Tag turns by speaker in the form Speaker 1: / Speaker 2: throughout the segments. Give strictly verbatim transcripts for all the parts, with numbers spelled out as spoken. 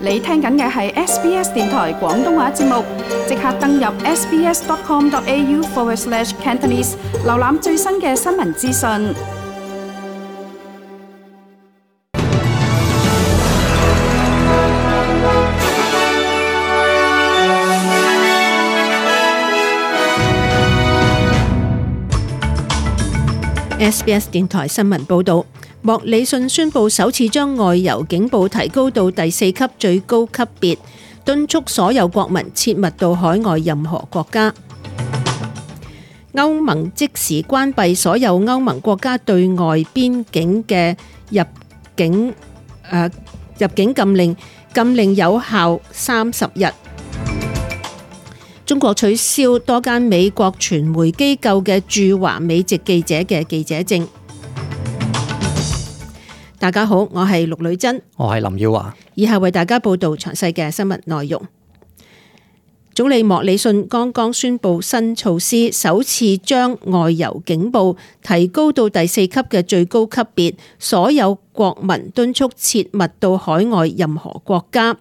Speaker 1: 你聽緊嘅係 S B S 電台廣東話節目，即刻登入 sbs.com.au forward slash Cantonese， 瀏覽最新嘅新聞資訊。
Speaker 2: S B S 電台新聞報導，莫里遜宣布首次將外遊警報提高到第四級最高級別，敦促所有國民切勿到海外任何國家。歐盟即時關閉所有歐盟國家對外邊境嘅入境、呃、入境禁令，禁令有效三十日。中國取消多間美國傳媒機構嘅駐華美籍記者嘅記者證。大家好，我係陸女珍，
Speaker 3: 我係林耀華。
Speaker 2: 以下為大家報道詳細嘅新聞內容。總理莫里遜剛剛宣布新措施，首次將外遊警報提高到第四級嘅最高級別，所有國民敦促切勿到海外任何國家。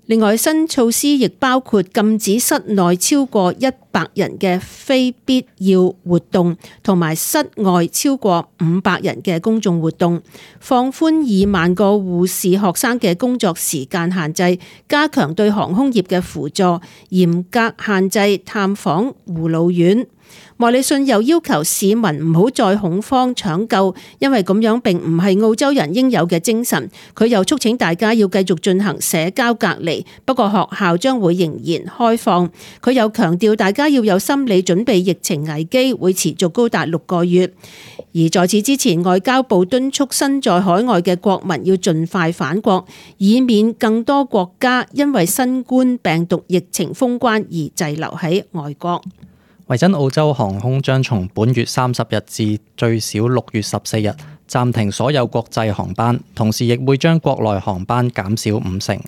Speaker 2: 另外，新措施亦包括禁止室內超過一百人嘅非必要活動，同埋室外超過五百人嘅公眾活動，放寬二萬個護士學生嘅工作時間限制，加強對航空業嘅輔助，嚴格限制探訪護老院。莫里遜又要求市民唔好再恐慌搶救，因為咁樣並唔係澳洲人應有嘅精神。佢又促請大家要繼續進行社交隔離，不過學校將會仍然開放。佢又強調大家要有心理準備，疫情危機會持續高達六個月。而在此之前，外交部敦促身在海外嘅國民要盡快返國，以免更多國家因為新冠病毒疫情封關而滯留喺外國。
Speaker 3: 維珍澳洲航空將從本月三十日至最少六月十四日暫停所有國際航班，同時亦會將國內航班減少五成。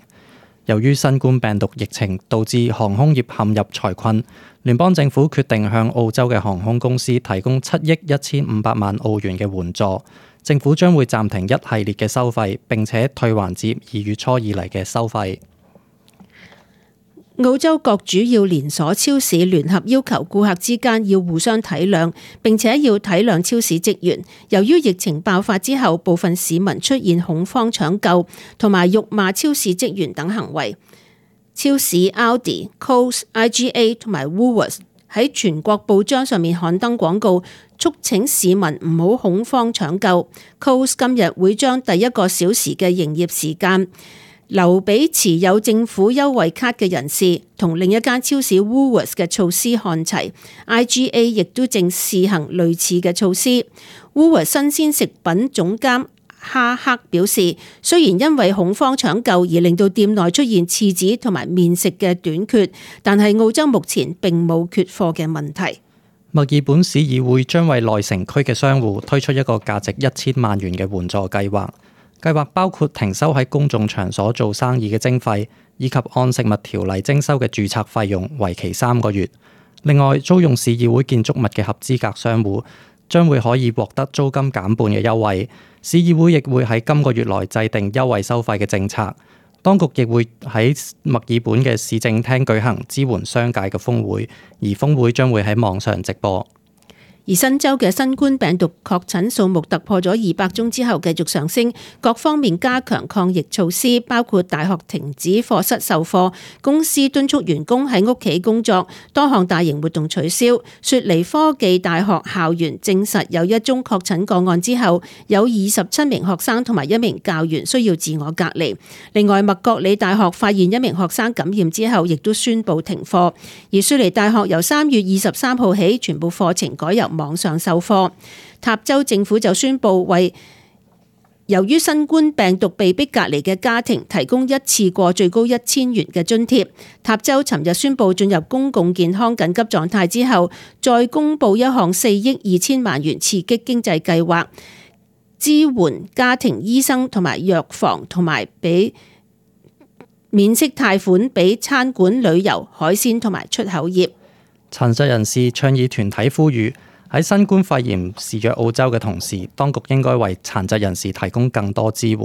Speaker 3: 由於新冠病毒疫情導致航空業陷入財困，聯邦政府決定向澳洲嘅航空公司提供七億一千五百萬澳元嘅援助。政府將會暫停一系列嘅收費，並且退還至二月初以嚟嘅收費。
Speaker 2: 澳洲各主要連鎖超市聯合要求顧客之間要互相體諒，並且要體諒超市職員。由於疫情爆發之後，部分市民出現恐慌搶救同埋辱罵超市職員等行為。超市 Aldi、Coles、I G A 同埋 Woolworths 喺全國報章上面刊登廣告，促請市民唔好恐慌搶救。Coles 今日會將第一個小時嘅營業時間留俾持有政府優惠卡嘅人士，同另一間超市 Woolworths 嘅措施看齊。I G A 亦都正試行類似嘅措施。Woolworths 新鮮食品總監哈克表示，雖然因為恐慌搶救而令到店內出現廁紙同埋麵食嘅短缺，但係澳洲目前並冇缺貨嘅問題。
Speaker 3: 墨爾本市議會將為內城區嘅商戶推出一個價值一千萬元嘅援助計劃。計劃包括停收喺公眾場所做生意嘅徵費，以及按食物條例徵收嘅註冊費用，為期三個月。另外，租用市議會建築物嘅合資格商戶將會可以獲得租金減半嘅優惠。市議會亦會喺今個月內制定優惠收費嘅政策。當局亦會喺墨爾本嘅市政廳舉行支援商界嘅峰會，而峰會將會喺網上直播。
Speaker 2: 而新州嘅新冠病毒確診數目突破咗二百宗之後繼續上升，各方面加強抗疫措施，包括大學停止課室授課，公司敦促員工喺屋企工作，多項大型活動取消。雪梨科技大學校園證實有一宗確診個案之後，有二十七名學生同埋一名教員需要自我隔離。另外，麥覺理大學發現一名學生感染之後，亦都宣布停課。而雪梨大學由三月二十三號起，全部課程改由網上授課。塔州政府就宣布為由於新冠病毒被逼隔離嘅家庭提供一次過最高一千元嘅津貼。塔州尋日宣布進入公共健康緊急狀態之後，再公布一項四億二千萬元刺激經濟計劃，支援家庭醫生同埋藥房，同埋俾免息貸款俾餐館、旅遊、海鮮同埋出口業。
Speaker 3: 殘疾人士倡議團體呼籲，喺新冠肺炎肆虐澳洲嘅同時，當局應該為殘疾人士提供更多支援。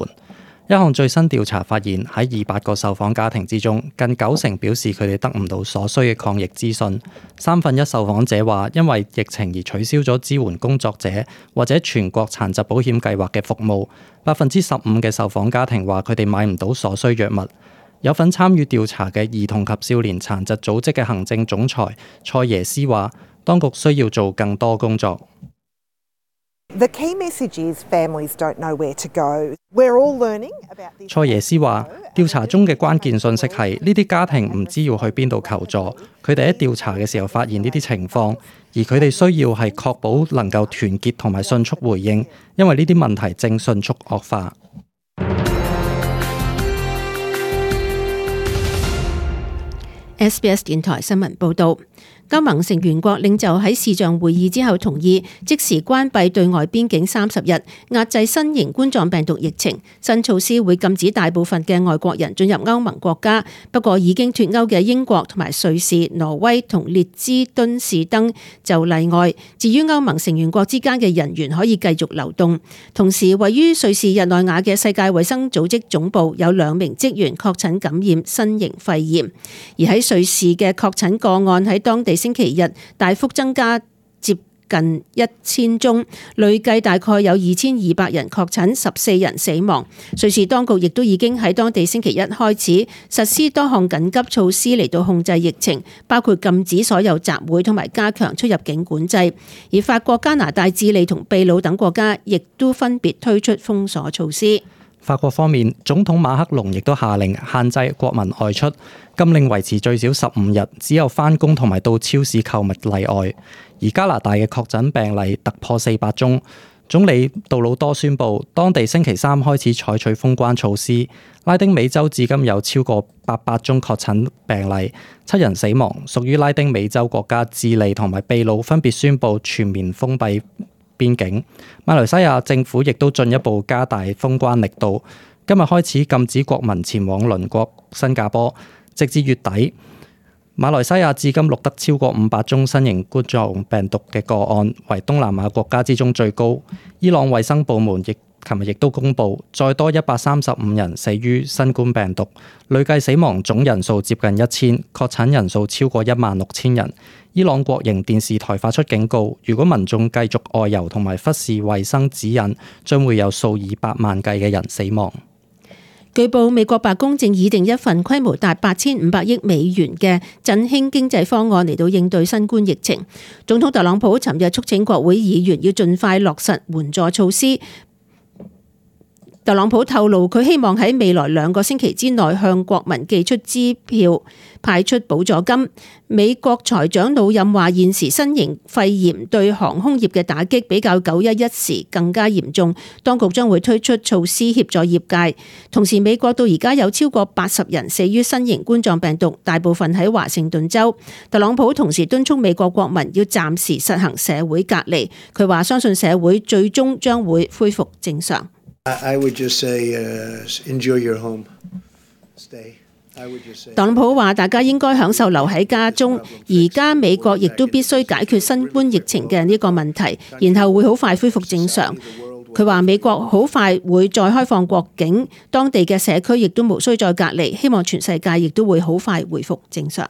Speaker 3: 一項最新調查發現，喺二百個受訪家庭之中，近九成表示佢哋得唔到所需嘅抗疫資訊。三分一受訪者話，因為疫情而取消咗支援工作者或者全國殘疾保險計劃嘅服務。百分之十五嘅受訪家庭話，佢哋買唔到所需藥物。有份參與調查嘅兒童及少年殘疾組織嘅行政總裁蔡耶斯話，當局需要做更多工作。
Speaker 4: The key message is families don't know where to go. We're all learning about this.
Speaker 3: 蔡耶斯話，調查中嘅關鍵信息係呢啲家庭唔知要去邊度求助，佢哋喺調查嘅時候發現呢啲情況，而佢哋需要係確保能夠團結同埋迅速回應，因為呢啲問題正迅速惡化。
Speaker 2: S B S 電台新聞報導。歐盟成員國領袖喺視像會議之後同意即時關閉對外邊境三十日，壓制新型冠狀病毒疫情。新措施會禁止大部分嘅外國人進入歐盟國家，不過已經脫歐嘅英國同埋瑞士、挪威同列支敦士登就例外。至於歐盟成員國之間嘅人員可以繼續流動。同時，位於瑞士日內瓦嘅世界衛生組織總部有兩名職員確診感染新型肺炎，而喺瑞士嘅確診個案喺當地星期日大幅增加，接近一千宗，累計大概有二千二百人確診，十四人死亡。瑞士當局亦都已經喺當地星期一開始實施多項緊急措施嚟到控制疫情，包括禁止所有集會同埋加強出入境管制。而法國、加拿大、智利同秘魯等國家亦都分別推出封鎖措施。
Speaker 3: 法國方面，總統馬克龍亦都下令限制國民外出，禁令維持最少十五日，只有返工同埋到超市購物例外。而加拿大嘅確診病例突破四百宗，總理杜魯多宣布，當地星期三開始採取封關措施。拉丁美洲至今有超過八百宗確診病例，七人死亡，屬於拉丁美洲國家智利同埋秘魯分別宣布全面封閉邊境。馬來西亞政府亦都進一步加大封關力度，今日開始禁止國民前往鄰國新加坡，直至月底。馬來西亞至今錄得超過五百宗新型冠狀病毒嘅個案，為東南亞國家之中最高。伊朗衛生部門亦琴日亦都公布，再多一百三十五人死於新冠病毒，累計死亡總人數接近一千，確診人數超過一萬六千人。伊朗國營電視台發出警告，如果民眾繼續外遊同埋忽視衛生指引，將會有數以百萬計嘅人死亡。
Speaker 2: 據報，美國白宮正擬定一份規模達八千五百億美元嘅振興經濟方案嚟到應對新冠疫情。總統特朗普尋日促請國會議員要盡快落實援助措施。特朗普透露，佢希望喺未來兩個星期之內向國民寄出支票，派出補助金。美國財長魯任話，現時新型肺炎對航空業嘅打擊比較九一一時更加嚴重，當局將會推出措施協助業界。同時，美國到而家有超過八十人死於新型冠狀病毒，大部分喺華盛頓州。特朗普同時敦促美國國民要暫時實行社會隔離。佢話相信社會最終將會恢復正常。
Speaker 5: I would just say, uh, enjoy your home. Stay. I would just say.
Speaker 2: 特朗普話：大家應該享受留喺家中。而家美國亦都必須解決新冠疫情嘅呢個問題，然後會好快恢復正常。佢話美國好快會再開放國境，當地嘅社區亦都無需再隔離。希望全世界亦都會好快恢復正常。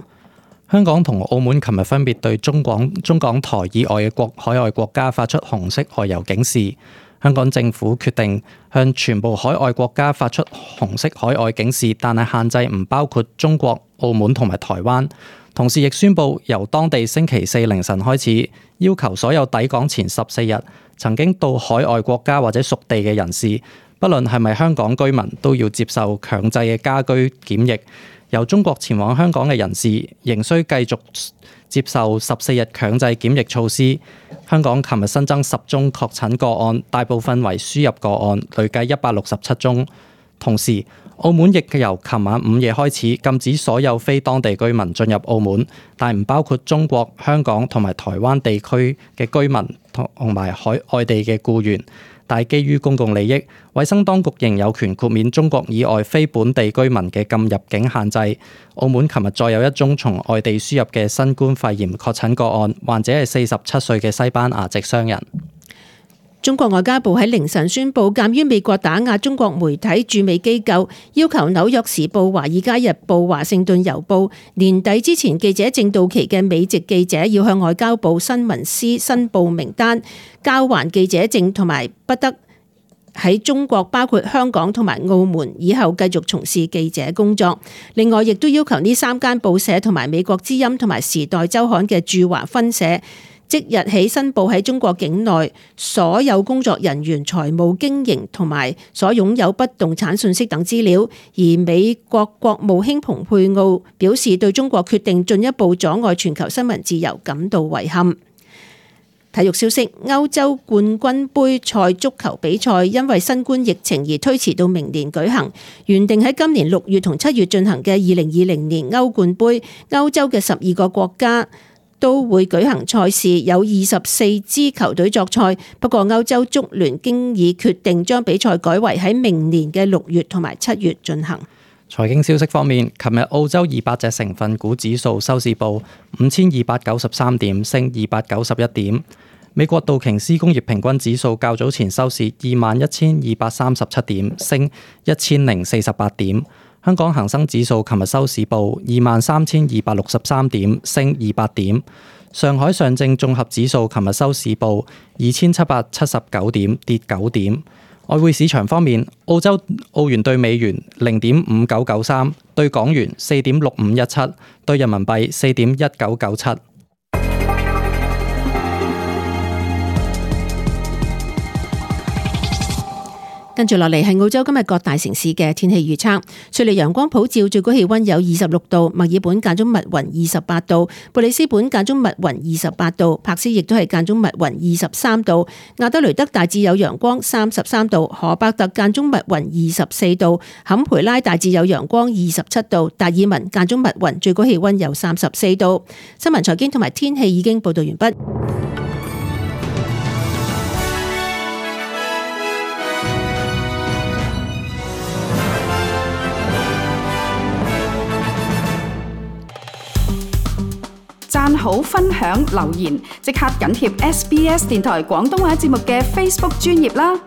Speaker 3: 香港同澳門琴日分別對中港中港台以外嘅國海外國家發出紅色外遊警示。香港政府決定向全部海外國家發出紅色海外警示，但係限制唔包括中國、澳門同埋台灣。同時亦宣布由當地星期四凌晨開始，要求所有抵港前十四日曾經到海外國家或者屬地嘅人士，不論係咪香港居民，都要接受強制嘅家居檢疫。由中國前往香港嘅人士仍需繼續接受十四日強制檢疫措施。香港琴日新增十宗確診個案，大部分為輸入個案，累計一百六十七宗。同時，澳門亦由琴晚午夜開始禁止所有非當地居民進入澳門，但唔包括中國、香港同埋台灣地區嘅居民同埋海外地嘅僱員。但基於公共利益，衛生當局仍有權豁免中國以外非本地居民嘅禁入境限制。澳門琴日再有一宗從外地輸入嘅新冠肺炎確診個案，患者係四十七歲嘅西班牙籍商人。
Speaker 2: 中國外交部喺凌晨宣布，鑑於美國打壓中國媒體駐美機構，要求紐約時報、華爾街日報、華盛頓郵報年底之前記者證到期嘅美籍記者要向外交部新聞司申報名單，交還記者證同埋不得喺中國包括香港同埋澳門以後繼續從事記者工作。另外，亦都要求呢三間報社同埋美國之音同埋時代週刊嘅駐華分社即日起申報喺中國境內所有工作人員財務經營同埋所擁有不動產信息等資料。而美國國務卿蓬佩奧表示，對中國決定進一步阻礙全球新聞自由感到遺憾。體育消息：歐洲冠軍杯賽足球比賽因為新冠疫情而推遲到明年舉行，原定喺今年六月同七月進行嘅二零二零年歐冠杯，歐洲嘅十二個國家都會舉行賽事，有二十四支球隊作賽。不過歐洲足聯經已決定將比賽改為喺明年嘅六月同埋七月進行。
Speaker 3: 財經消息方面，琴日澳洲二百隻成分股指數收市報五千二百九十三點，升二百九十一點。美國道瓊斯工業平均指數較早前收市二萬一千二百三十七點，升一千零四十八點。香港恒生指數琴日收市報二萬三千二百六十三點，升二百點。上海上證綜合指數琴日收市報二千七百七十九點，跌九點。外匯市場方面，澳洲澳元對美元零點五九九三，對港元四點六五一七，對人民幣四點一九九七。
Speaker 2: 跟住落嚟係澳洲今日各大城市嘅天氣預測。雪梨陽光普照，最高氣溫有二十六度；墨爾本間中密雲二十八度；布里斯本間中密雲二十八度；柏斯亦都係間中密雲二十三度；亞德雷德大致有陽光三十三度；荷伯特間中密雲二十四度；坎培拉大致有陽光二十七度；達爾文間中密雲，最高氣溫有三十四度。新聞財經同埋天氣已經報道完畢。
Speaker 1: 讚好、分享、留言，即刻緊貼 S B S 電台廣東話節目嘅 Facebook 專頁啦！